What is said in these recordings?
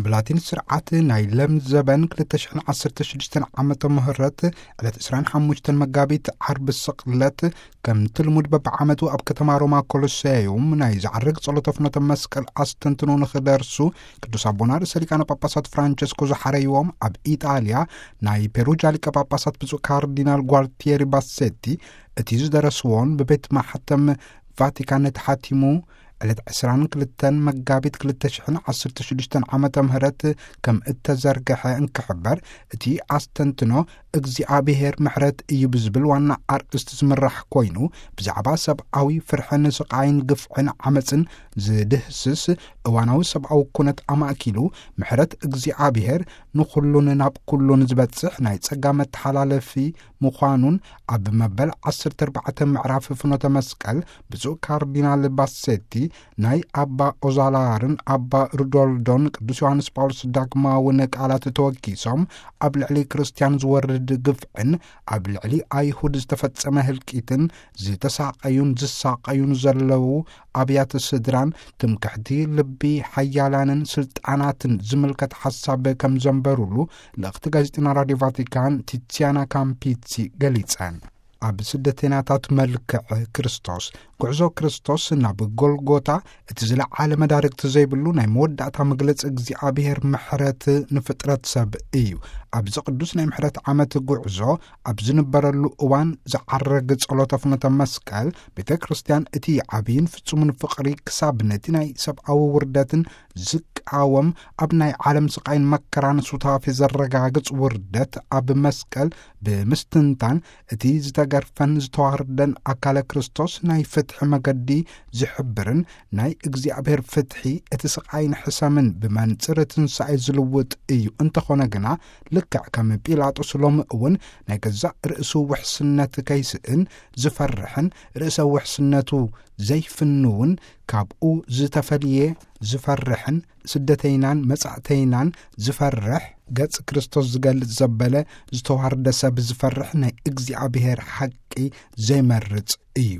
ብላቲን ስርዓት ናይ ለም ዘበን ክልተ ሽሕን ዓሰርተ ሽዱሽተን ዓመተ ምህረት ዕለት ዕስራን ሓሙሽተን መጋቢት ዓርቢ ስቕለት፣ ከምቲ ልሙድ በብዓመቱ ኣብ ከተማ ሮማ ኮሎሴዩም ናይ ዝዓርግ ጸሎተ ፍኖተ መስቀል ኣስተንትኖ ንኽደርሱ፣ ቅዱስ ኣቦና ርእሰ ሊቃነ ጳጳሳት ፍራንቸስኮ ዝሓረይዎም ኣብ ኢጣልያ ናይ ፔሩጃ ሊቀ ጳጳሳት ብፁዕ ካርዲናል ጓልቲየሪ ባሴቲ፣ እቲ ዝደረስዎን ብቤት ማሕተም ቫቲካን ተሓቲሙ ዕለት ዕስራን ክልተን መጋቢት ክልተ ሽሕን ዓሰርተ ሽዱሽተን ዓመተ ምህረት ከም እተዘርግሐ እንክሕበር፣ እቲ ኣስተንትኖ እግዚኣብሔር ምሕረት እዩ ብዝብል ዋና ኣርእስቲ ዝምራሕ ኮይኑ፣ ብዛዕባ ሰብኣዊ ፍርሕን ስቓይን ግፍዕን ዓመፅን ዝድህስስ እዋናዊ ሰብኣዊ ኩነት ኣማእኪሉ፣ ምሕረት እግዚኣብሔር ንኹሉን ናብ ኩሉን ዝበጽሕ ናይ ጸጋ መተሓላለፊ ምዃኑን፣ ኣብ መበል ዓሰርተ ኣርባዕተ ምዕራፍ ፍኖተ መስቀል ብፁዕ ካርዲናል ባሴቲ ናይ ኣባ ኦዛላርን ኣባ ሩዶልዶን ቅዱስ ዮሃንስ ጳውሎስ ዳግማውን ቃላት ተወኪሶም፣ ኣብ ልዕሊ ክርስትያን ዝወርድ ግፍዕን ኣብ ልዕሊ ኣይሁድ ዝተፈጸመ ህልቂትን ዝተሳቐዩን ዝሳቐዩን ዘለዉ ኣብያተ ስድራን ትምክሕቲ ልቢ ሓያላንን ስልጣናትን ዝምልከት ሓሳብ ከም ዘንበሩሉ ልእኽቲ ጋዜጠኛ ራድዮ ቫቲካን ቲትሲያና ካምፒሲ ገሊጸን። ኣብ ስደተኛታት መልክዕ ክርስቶስ፣ ጉዕዞ ክርስቶስ ናብ ጎልጎታ፣ እቲ ዝለዓለ መዳርግቲ ዘይብሉ ናይ መወዳእታ መግለጺ እግዚኣብሔር ምሕረት ንፍጥረት ሰብ እዩ። ኣብዚ ቅዱስ ናይ ምሕረት ዓመት ጉዕዞ ኣብ ዝንበረሉ እዋን ዝዓረግ ጸሎተ ፍኖተ መስቀል፣ ቤተ ክርስቲያን እቲ ዓብይን ፍጹምን ፍቕሪ ክሳብ ነቲ ናይ ሰብኣዊ ውርደትን ዝቃወም፣ ኣብ ናይ ዓለም ስቓይን መከራን ሱታፌ ዘረጋግጽ ውርደት ኣብ መስቀል ብምስትንታን፣ እቲ ዝተገርፈን ዝተዋርደን ኣካለ ክርስቶስ ናይ ፍትሒ መገዲ ዝሕብርን ናይ እግዚኣብሔር ፍትሒ እቲ ስቓይን ሕሰምን ብመንጽር ትንሳኤ ዝልውጥ እዩ። እንተኾነ ግና፣ ልክዕ ከም ጲላጦስ ሎሚ እውን ናይ ገዛእ ርእሱ ውሕስነት ከይስእን ዝፈርሕን ርእሰ ውሕስነቱ ዘይፍንውን ካብኡ ዝተፈልየ ዝፈርሕን ስደተይናን መጻእተይናን ዝፈርሕ ገጽ ክርስቶስ ዝገልጽ ዘበለ ዝተዋርደ ሰብ ዝፈርሕ ናይ እግዚኣብሔር ሓቂ ዘይመርጽ እዩ።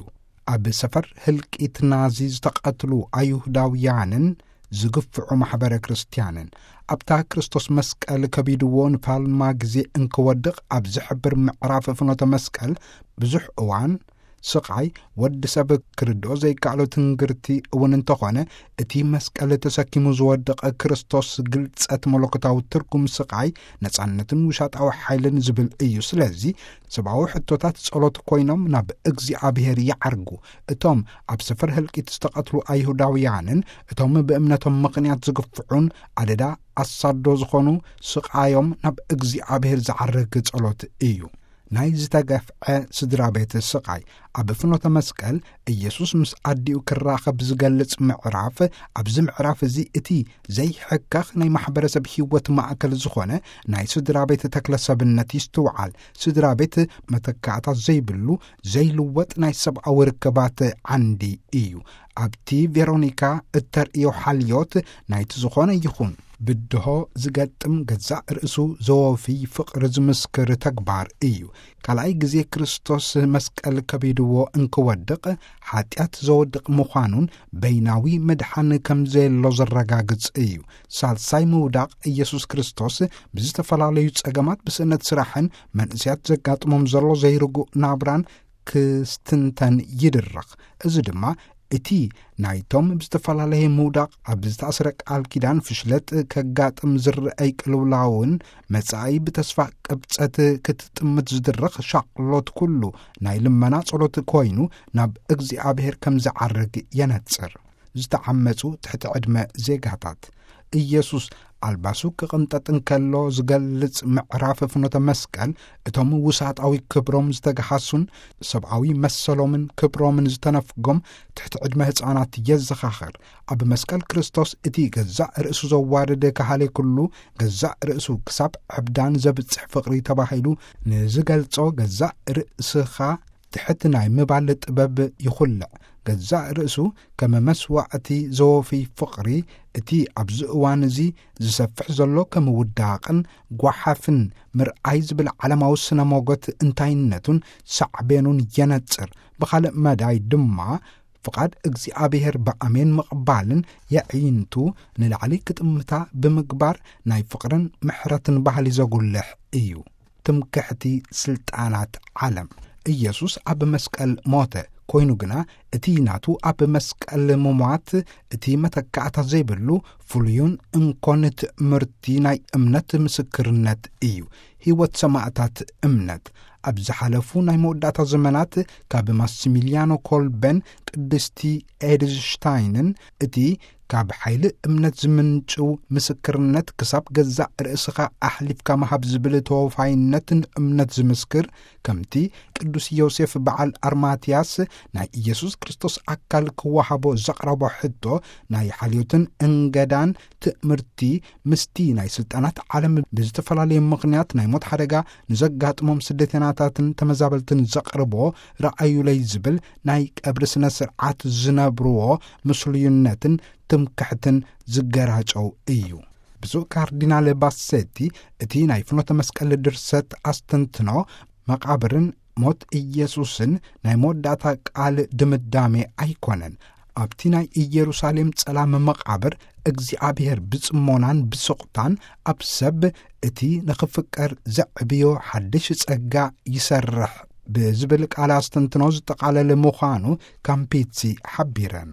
ኣብ ሰፈር ህልቂት ናዚ ዝተቐትሉ ኣይሁዳውያንን ዝግፍዑ ማሕበረ ክርስትያንን ኣብታ ክርስቶስ መስቀል ከቢድዎ ንፋልማ ግዜ እንክወድቕ ኣብ ዝሕብር ምዕራፍ ፍኖተ መስቀል ብዙሕ እዋን ስቓይ ወዲ ሰብ ክርድኦ ዘይከኣሎ ትንግርቲ እውን እንተኾነ፣ እቲ መስቀል ተሰኪሙ ዝወደቐ ክርስቶስ ግልጸት መለኮታዊ ትርጉም ስቓይ፣ ነጻነትን ውሻጣዊ ሓይልን ዝብል እዩ። ስለዚ ሰብኣዊ ሕቶታት ጸሎት ኮይኖም ናብ እግዚኣብሔር ይዓርጉ። እቶም ኣብ ሰፈር ህልቂት ዝተቐትሉ ኣይሁዳውያንን እቶም ብእምነቶም ምኽንያት ዝግፍዑን ኣደዳ ኣሳዶ ዝኾኑ ስቓዮም ናብ እግዚኣብሔር ዝዓርግ ጸሎት እዩ። ናይ ዝተገፍዐ ስድራ ቤት ስቓይ። ኣብ ፍኖተ መስቀል፣ ኢየሱስ ምስ ኣዲኡ ክራኸብ ዝገልጽ ምዕራፍ። ኣብዚ ምዕራፍ እዚ እቲ ዘይሕከኽ ናይ ማሕበረሰብ ህይወት ማእከል ዝኾነ ናይ ስድራ ቤት ተክለ ሰብነት ይስትውዓል። ስድራ ቤት መተካእታ ዘይብሉ ዘይልወጥ ናይ ሰብኣዊ ርክባት ዓንዲ እዩ። ኣብቲ ቬሮኒካ እተርእዮ ሓልዮት ናይቲ ዝኾነ ይኹን ብድሆ ዝገጥም ገዛእ ርእሱ ዘወፊ ፍቕሪ ዝምስክር ተግባር እዩ። ካልኣይ ግዜ ክርስቶስ መስቀል ከቢድዎ እንክወድቕ ሓጢኣት ዘወድቕ ምዃኑን በይናዊ መድሓን ከም ዘየሎ ዘረጋግጽ እዩ። ሳልሳይ ምውዳቕ ኢየሱስ ክርስቶስ ብዝተፈላለዩ ጸገማት ብስእነት ስራሕን መንእሰያት ዘጋጥሞም ዘሎ ዘይርጉእ ናብራን ክስትንተን ይድረኽ። እዚ ድማ እቲ ናይቶም ብዝተፈላለየ ምውዳቕ ኣብ ዝተኣስረ ቃል ኪዳን ፍሽለጥ ከጋጥም ዝረአይ ቅልውላውን መጻኢ ብተስፋ ቅብጸት ክትጥምት ዝድረኽ ሻቕሎት ኩሉ ናይ ልመና ጸሎት ኮይኑ ናብ እግዚኣብሔር ከም ዝዓርግ የነጽር። ዝተዓመጹ ትሕቲ ዕድመ ዜጋታት። ኢየሱስ ኣልባሱ ክቕንጠጥ እንከሎ ዝገልጽ ምዕራፍ ፍኖተ መስቀል፣ እቶም ውሳጣዊ ክብሮም ዝተገሃሱን ሰብኣዊ መሰሎምን ክብሮምን ዝተነፍጎም ትሕቲ ዕድመ ህፃናት የዘኻኽር። ኣብ መስቀል ክርስቶስ እቲ ገዛእ ርእሱ ዘዋርድ ካህሌ ኩሉ፣ ገዛእ ርእሱ ክሳብ ዕብዳን ዘብጽሕ ፍቕሪ ተባሂሉ ንዝገልጾ ገዛእ ርእስኻ ትሕት ናይ ምባል ጥበብ ይኹልዕ። ገዛእ ርእሱ ከም መስዋዕቲ ዘወፊ ፍቕሪ፣ እቲ ኣብዚ እዋን እዚ ዝሰፍሕ ዘሎ ከም ውዳቕን ጓሓፍን ምርኣይ ዝብል ዓለማዊ ስነ ሞገት እንታይነቱን ሳዕቤኑን የነጽር። ብኻልእ መዳይ ድማ ፍቓድ እግዚኣብሔር ብኣሜን ምቕባልን የዒንቱ ንላዕሊ ክጥምታ ብምግባር ናይ ፍቕርን ምሕረትን ባህሊ ዘጉልሕ እዩ። ትምክሕቲ ስልጣናት ዓለም። ኢየሱስ ኣብ መስቀል ሞተ፣ ኮይኑ ግና እቲ ናቱ ኣብ መስቀል ምሟት እቲ መተካእታ ዘይብሉ ፍሉዩን እንኮን ትምህርቲ ናይ እምነት ምስክርነት እዩ። ህይወት ሰማእታት እምነት። ኣብ ዝሓለፉ ናይ መወዳእታ ዘመናት ካብ ማስሚልያኖ ኮልበን ቅድስቲ ኤድዝሽታይንን እቲ ካብ ሓይሊ እምነት ዝምንጭው ምስክርነት ክሳብ ገዛእ ርእስኻ ኣሕሊፍካ ምሃብ ዝብል ተወፋይነትን እምነት ዝምስክር፣ ከምቲ ቅዱስ ዮሴፍ በዓል ኣርማትያስ ናይ ኢየሱስ ክርስቶስ ኣካል ክወሃቦ ዘቕረቦ ሕቶ ናይ ሓልዮትን እንገዳን ትእምርቲ ምስቲ ናይ ስልጣናት ዓለም ብዝተፈላለየ ምኽንያት ናይ ሞት ሓደጋ ንዘጋጥሞም ስደተናታትን ተመዛበልትን ዘቕርቦ ረኣዩለይ ዝብል ናይ ቀብሪ ስነ ስርዓት ዝነብርዎ ምስሉይነትን ትምክሕትን ዝገራጨው እዩ። ብፁዕ ካርዲናል ባሴቲ እቲ ናይ ፍኖተ መስቀል ድርሰት ኣስተንትኖ መቓብርን ሞት ኢየሱስን ናይ መወዳእታ ቃል ድምዳሜ ኣይኮነን። ኣብቲ ናይ ኢየሩሳሌም ጸላም መቓብር እግዚኣብሔር ብጽሞናን ብስቕታን ኣብ ሰብ እቲ ንኽፍቀር ዘዕብዮ ሓድሽ ጸጋ ይሰርሕ ብዝብል ቃል ኣስተንትኖ ዝጠቓለለ ምዃኑ ካምፒትሲ ሓቢረን።